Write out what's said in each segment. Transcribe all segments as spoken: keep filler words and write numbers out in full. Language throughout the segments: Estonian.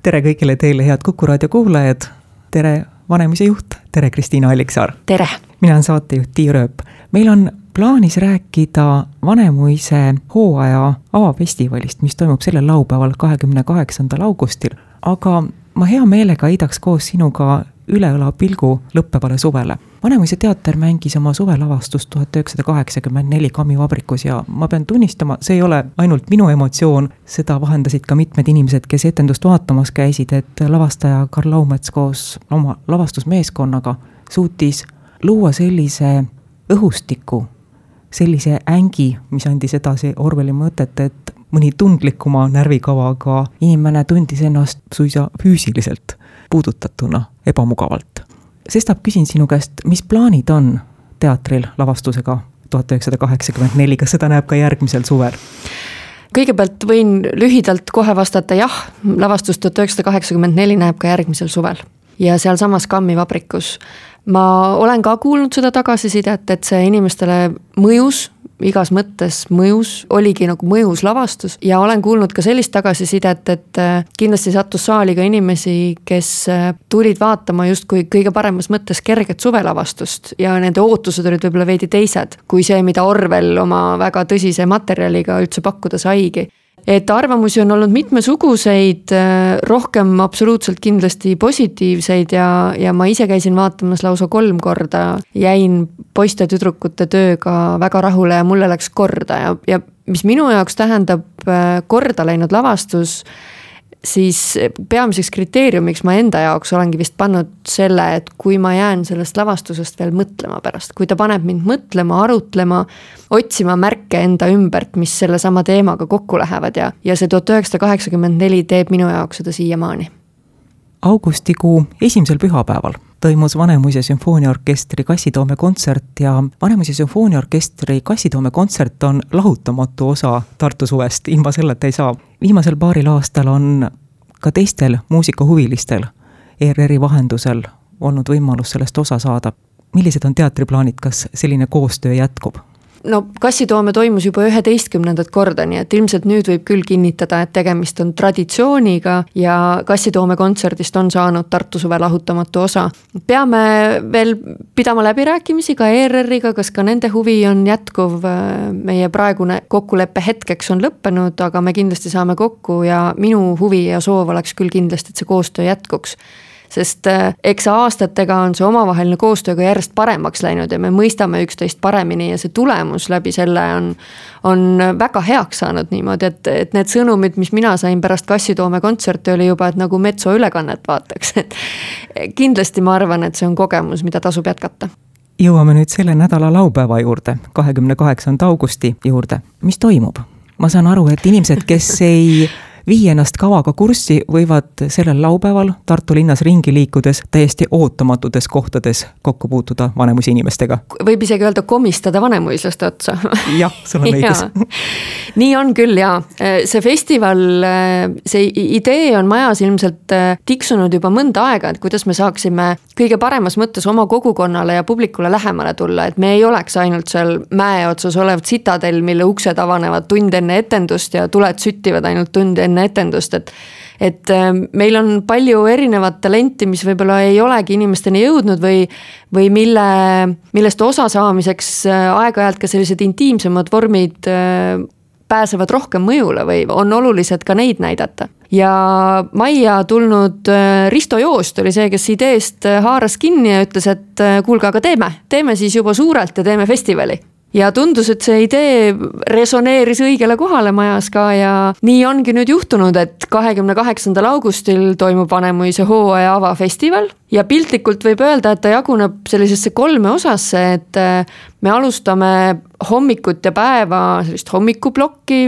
tere kõigile teile, head Kuku raadio kuulajad. Tere Vanemuise juht, tere Kristiina Alliksaar. Tere! Mina on saatejuht Tiia Rööp. Meil on plaanis rääkida Vanemuise hooaja avafestivalist, mis toimub sellel laupäeval kahekümne kaheksandal augustil. Aga ma hea meelega heidaks koos sinuga üleõla pilgu lõppevale suvele. Vanemuise teater mängis oma suvelavastust tuhat üheksasada kaheksakümmend neli Kammivabrikus ja ma pean tunnistama, see ei ole ainult minu emotsioon, seda vahendasid ka mitmed inimesed, kes etendust vaatamas käisid, et lavastaja Karl Laumets koos oma lavastusmeeskonnaga suutis luua sellise õhustiku, sellise ängi, mis andis edasi Orwelli mõtet, et mõni tundlikuma närvikavaga inimene tundis ennast suisa füüsiliselt puudutatuna ebamugavalt. Sestap küsin sinu käest, mis plaanid on teatril lavastusega tuhat üheksasada kaheksakümmend neli, kas seda näeb ka järgmisel suvel? Kõigepealt võin lühidalt kohe vastata jah, lavastus tuhat üheksasada kaheksakümmend neli näeb ka järgmisel suvel ja seal samas Kammivabrikus. Ma olen ka kuulnud seda tagasisidet, et see inimestele mõjus, igas mõttes mõjus, oligi nagu mõjus lavastus ja olen kuulnud ka sellist tagasisidet, et kindlasti sattus saali ka inimesi, kes tulid vaatama justkui kõige paremas mõttes kerget suvelavastust ja nende ootused olid võib-olla veidi teised kui see, mida Orwell oma väga tõsise materjaliga üldse pakkuda saigi. Et arvamusi on olnud mitmesuguseid, rohkem absoluutselt kindlasti positiivseid ja, ja ma ise käisin vaatamas lausa kolm korda, jäin poiste tüdrukute tööga väga rahule ja mulle läks korda ja, ja mis minu jaoks tähendab korda läinud lavastus, siis peamiseks kriteeriumiks ma enda jaoks olengi vist pannud selle, et kui ma jään sellest lavastusest veel mõtlema pärast, kui ta paneb mind mõtlema, arutlema, otsima märke enda ümbert, mis selle sama teemaga kokku lähevad ja, ja see tuhat üheksasada kaheksakümmend neli teeb minu jaoks seda siiamaani. Augustikuu esimesel pühapäeval toimus Vanemuise sümfooniaorkestri Kassitoome kontsert ja Vanemuise sümfooniaorkestri Kassitoome kontsert on lahutamatu osa Tartu suvest, ilma selleta ei saa. Viimasel paaril aastal on ka teistel muusikahuvilistel E R R-i vahendusel olnud võimalus sellest osa saada. Millised on teatriplaanid, kas selline koostöö jätkub? No Kassitoome toimus juba üheteistkümnendat korda, nii et ilmselt nüüd võib küll kinnitada, et tegemist on traditsiooniga ja Kassitoome kontserdist on saanud Tartu suve lahutamatu osa. Peame veel pidama läbirääkimisi ka E R R-iga, kas ka nende huvi on jätkuv, meie praegune kokkuleppe hetkeks on lõppenud, aga me kindlasti saame kokku ja minu huvi ja soov oleks küll kindlasti, et see koostöö jätkuks. Sest eks aastatega on see omavaheline koostööga järjest paremaks läinud ja me mõistame üksteist paremini ja see tulemus läbi selle on, on väga heaks saanud niimoodi, et, et need sõnumid, mis mina sain pärast Kassitoome kontserti, oli juba, et nagu Metso ülekannet vaataks. Et kindlasti ma arvan, et see on kogemus, mida tasub jätkata. Jõuame nüüd selle nädala laupäeva juurde, kahekümne kaheksanda augusti juurde. Mis toimub? Ma saan aru, et inimesed, kes ei vii ennast kavaga kurssi, võivad sellel laupäeval Tartu linnas ringi liikudes täiesti ootamatutes kohtades kokku puutuda Vanemuise inimestega. Võib isegi öelda komistada vanemuislaste otsa. Jah, sul on õigus. Nii on küll, jaa. See festival, see idee on majas ilmselt tiksunud juba mõnda aega, et kuidas me saaksime kõige paremas mõttes oma kogukonnale ja publikule lähemale tulla, et me ei oleks ainult seal mäe otsas olevat Citadel, mille uksed avanevad tund enne etendust ja tuled süttivad ainult tund enne etendust, et, et meil on palju erinevat talenti, mis võib-olla ei olegi inimesteni jõudnud või, või mille, millest osa saamiseks aeg-ajalt ka sellised intiimsemad vormid pääsevad rohkem mõjule või on olulised ka neid näidata. Ja Maija tulnud Risto Joost oli see, kes ideest haaras kinni ja ütles, et kuulge, aga teeme, teeme siis juba suurelt ja teeme festivali. Ja tundus, et see idee resoneeris õigele kohale majas ka ja nii ongi nüüd juhtunud, et kahekümne kaheksandal augustil toimub Vanemuise hooaja avafestival ja piltlikult võib öelda, et ta jaguneb sellisesse kolme osasse, et me alustame hommikut ja päeva sellist hommikuplokki,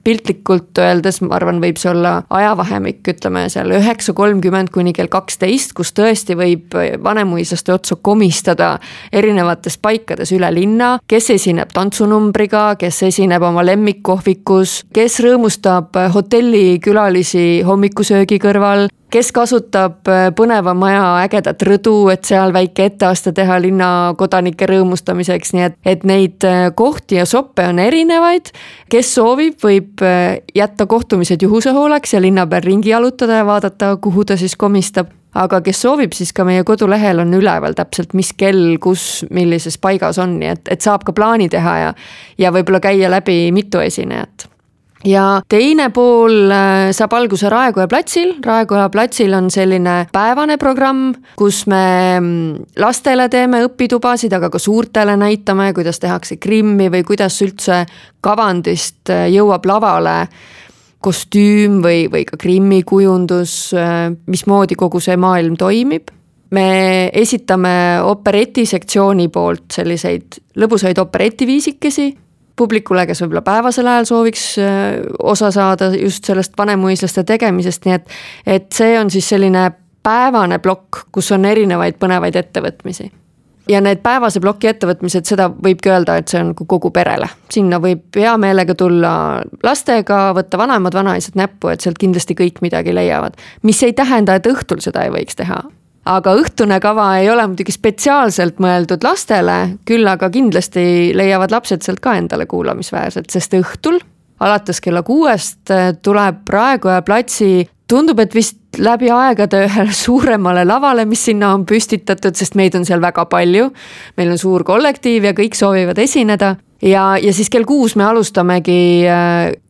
piltlikult öeldes, ma arvan, võib see olla ajavahemik, ütleme seal üheksa kolmkümmend kuni kell kaksteist, kus tõesti võib Vanemuislaste otsa komistada erinevates paikades üle linna, kes esineb tantsunumbriga, kes esineb oma lemmikkohvikus, kes rõõmustab hotellikülalisi hommikusöögi kõrval, kes kasutab põneva maja ägedat rõdu, et seal väike etteaste teha linna kodanike rõõmustamiseks näiteks, nii et, et neid kohti ja soppe on erinevaid. Kes soovib, võib jätta kohtumised juhuse hooleks ja linna peal ringi jalutada ja vaadata, kuhu ta siis komistab. Aga kes soovib, siis ka meie kodulehel on üleval täpselt, mis kell, kus, millises paigas on, nii et, et saab ka plaani teha ja, ja võib-olla käia läbi mitu esinejat. Ja teine pool saab alguse Raekoja platsil. Raekoja platsil on selline päevane programm, kus me lastele teeme õpitubasid, aga ka suurtele näitame, kuidas tehakse krimmi või kuidas üldse kavandist jõuab lavale kostüüm või, või ka krimmi kujundus, mismoodi kogu see maailm toimib. Me esitame operetisektsiooni poolt selliseid lõbusaid operetiviisikesi publikule, kes võib-olla päevasel ajal sooviks osa saada just sellest vanemuislaste tegemisest, nii et, et see on siis selline päevane plokk, kus on erinevaid põnevaid ettevõtmisi. Ja need päevase ploki ettevõtmised, seda võibki öelda, et see on kogu perele. Sinna võib hea meelega tulla lastega, võtta vanemad vanaisad näppu, et sealt kindlasti kõik midagi leiavad. Mis ei tähenda, et õhtul seda ei võiks teha. Aga õhtune kava ei ole muidugi spetsiaalselt mõeldud lastele, küll aga kindlasti leiavad lapsed sealt ka endale kuulamisväärselt, sest õhtul, alates kella kuuest, tuleb Raekoja platsi, tundub, et vist läbi aegade ühele suuremale lavale, mis sinna on püstitatud, sest meid on seal väga palju. Meil on suur kollektiiv ja kõik soovivad esineda. Ja, ja siis kell kuus me alustamegi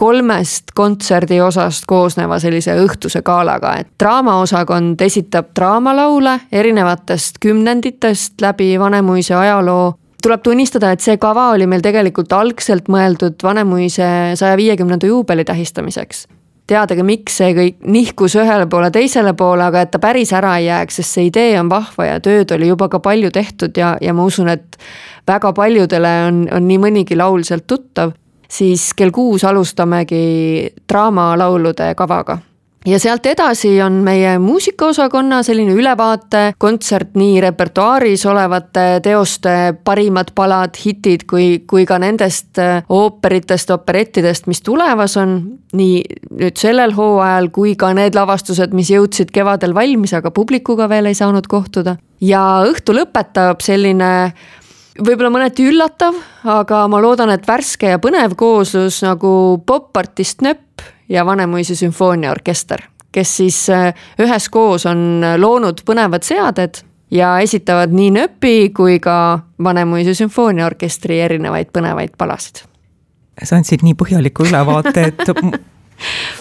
kolmest kontserdi osast koosneva sellise õhtuse gaalaga, et draamaosakond esitab draamalaule erinevatest kümnenditest läbi Vanemuise ajaloo. Tuleb tunnistada, et see kava oli meil tegelikult algselt mõeldud Vanemuise saja viiekümnenda juubeli tähistamiseks. Teadagi, miks see kõik nihkus ühele poole teisele poole, aga et ta päris ära ei jääks, sest see idee on vahva ja tööd oli juba ka palju tehtud ja, ja ma usun, et väga paljudele on, on nii mõnigi laul sealt tuttav, siis kell kuus alustamegi draamalaulude kavaga. Ja sealt edasi on meie muusikaosakonna selline ülevaate kontsert nii repertuaaris olevate teoste parimad palad, hitid kui, kui ka nendest ooperitest, operettidest, mis tulevas on nii nüüd sellel hooajal kui ka need lavastused, mis jõudsid kevadel valmis, aga publikuga veel ei saanud kohtuda. Ja õhtu lõpetab selline võib-olla mõneti üllatav, aga ma loodan, et värske ja põnev kooslus nagu popartist Nöpp ja Vanemuise sümfooniaorkester, kes siis ühes koos on loonud põnevad seaded ja esitavad nii Nöppi kui ka Vanemuise sümfooniaorkestri erinevaid põnevaid palasid. Sa andsid nii põhjaliku ülevaate, et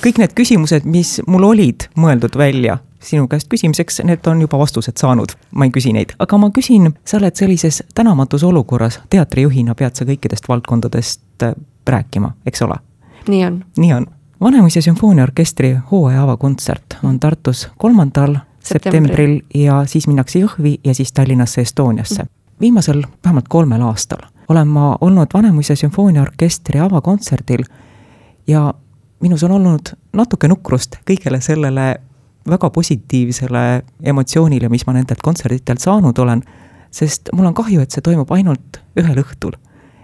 kõik need küsimused, mis mul olid mõeldud välja sinu käest küsimiseks, need on juba vastused saanud. Ma ei küsi neid. Aga ma küsin, sa oled sellises tänamatus olukorras, teatrijuhina pead sa kõikidest valdkondadest rääkima, eks ole? Nii on. Nii on. Vanemuise sümfooniaorkestri hooaja avakontsert on Tartus kolmandal septembril ja siis minnakse Jõhvi ja siis Tallinnasse Estoniasse. Viimasel vähemalt kolmel aastal olen ma olnud Vanemuise sümfooniaorkestri avakontserdil ja minus on olnud natuke nukrust kõigele sellele väga positiivsele emotsioonile, mis ma nendelt kontserditelt saanud olen, sest mul on kahju, et see toimub ainult ühel õhtul.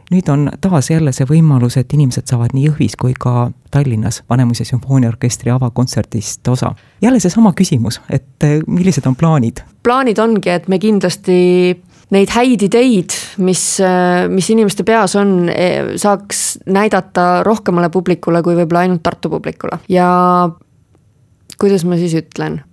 Nüüd on taas jälle see võimalus, et inimesed saavad nii Jõhvis kui ka Tallinnas Vanemuise sümfooniaorkestri avakontserdist osa. Jälle see sama küsimus, et millised on plaanid? Plaanid ongi, et me kindlasti neid häid ideid, mis, mis inimeste peas on, saaks näidata rohkemale publikule kui võib-olla ainult Tartu publikule. Ja kuidas ma siis ütlen?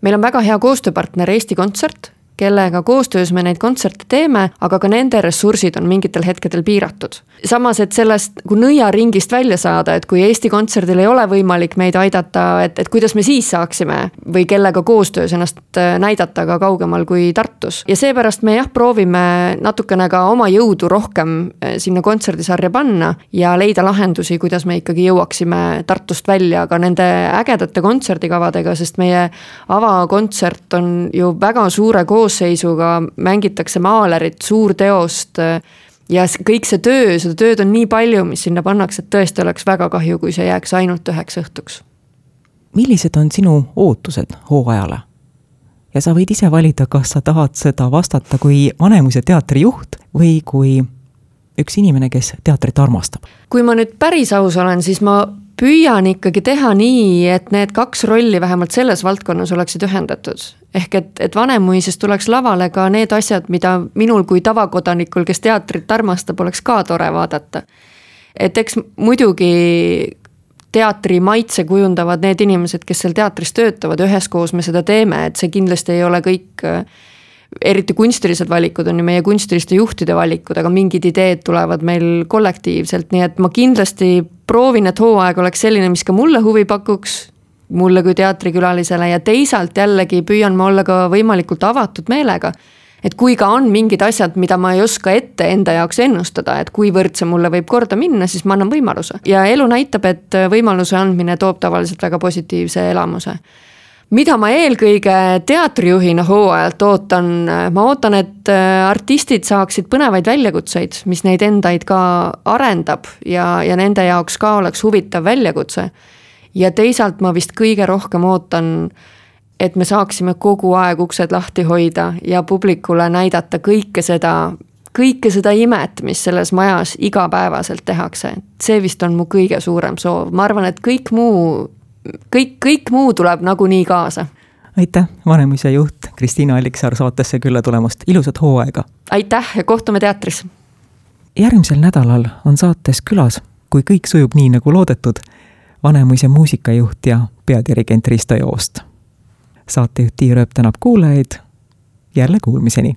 Meil on väga hea koostööpartner Eesti Kontsert, kellega koostöös me neid kontserte teeme, aga ka nende ressursid on mingitel hetkedel piiratud. Samas, et sellest kui nõia ringist välja saada, et kui Eesti Kontserdil ei ole võimalik meid aidata, et, et kuidas me siis saaksime või kellega koostöös ennast näidata ka kaugemal kui Tartus. Ja seepärast me jah, proovime natukene ka oma jõudu rohkem sinna kontserdisarja panna ja leida lahendusi, kuidas me ikkagi jõuaksime Tartust välja ka nende ägedate kontserdikavadega, sest meie avakontsert on ju väga suure koos seisuga, mängitakse maalerit, suur teost ja kõik see töö, seda tööd on nii palju, mis sinna pannakse, et tõesti oleks väga kahju, kui see jääks ainult üheks õhtuks. Millised on sinu ootused hooajale? Ja sa võid ise valida, kas sa tahad seda vastata kui Vanemuise teatri juht või kui üks inimene, kes teatrit armastab. Kui ma nüüd päris aus olen, siis ma püüan ikkagi teha nii, et need kaks rolli vähemalt selles valdkonnas oleksid ühendatud. Ehk et, et Vanemuises tuleks lavale ka need asjad, mida minul kui tavakodanikul, kes teatrit armastab, oleks ka tore vaadata. Et eks muidugi teatri maitse kujundavad need inimesed, kes seal teatris töötavad, üheskoos me seda teeme, et see kindlasti ei ole kõik, eriti kunstilised valikud on ju meie kunstiliste juhtide valikud, aga mingid ideed tulevad meil kollektiivselt, nii et ma kindlasti proovin, et hooaeg oleks selline, mis ka mulle huvi pakuks, mulle kui teatrikülalisele ja teisalt jällegi püüan ma olla ka võimalikult avatud meelega. Et kui ka on mingid asjad, mida ma ei oska ette enda jaoks ennustada, et kuivõrd see mulle võib korda minna, siis ma annan võimaluse. Ja elu näitab, et võimaluse andmine toob tavaliselt väga positiivse elamuse. Mida ma eelkõige teatrijuhina hooajalt ootan? Ma ootan, et artistid saaksid põnevaid väljakutseid, mis neid endaid ka arendab ja, ja nende jaoks ka oleks huvitav väljakutse. Ja teisalt ma vist kõige rohkem ootan, et me saaksime kogu aeg uksed lahti hoida ja publikule näidata kõike seda, kõike seda imet, mis selles majas igapäevaselt tehakse. See vist on mu kõige suurem soov. Ma arvan, et kõik muu, kõik, kõik muu tuleb nagunii kaasa. Aitäh, Vanemuise juht Kristiina Alliksaar saatesse külla tulemast. Ilusat hooaega! Aitäh ja kohtume teatris! Järgmisel nädalal on saates külas, kui kõik sujub nii nagu loodetud, Vanemuise muusikajuht ja peadirigent Risto Joost. Saatejuht Tiia Rööp tänab kuulajaid. Jälle kuulmiseni!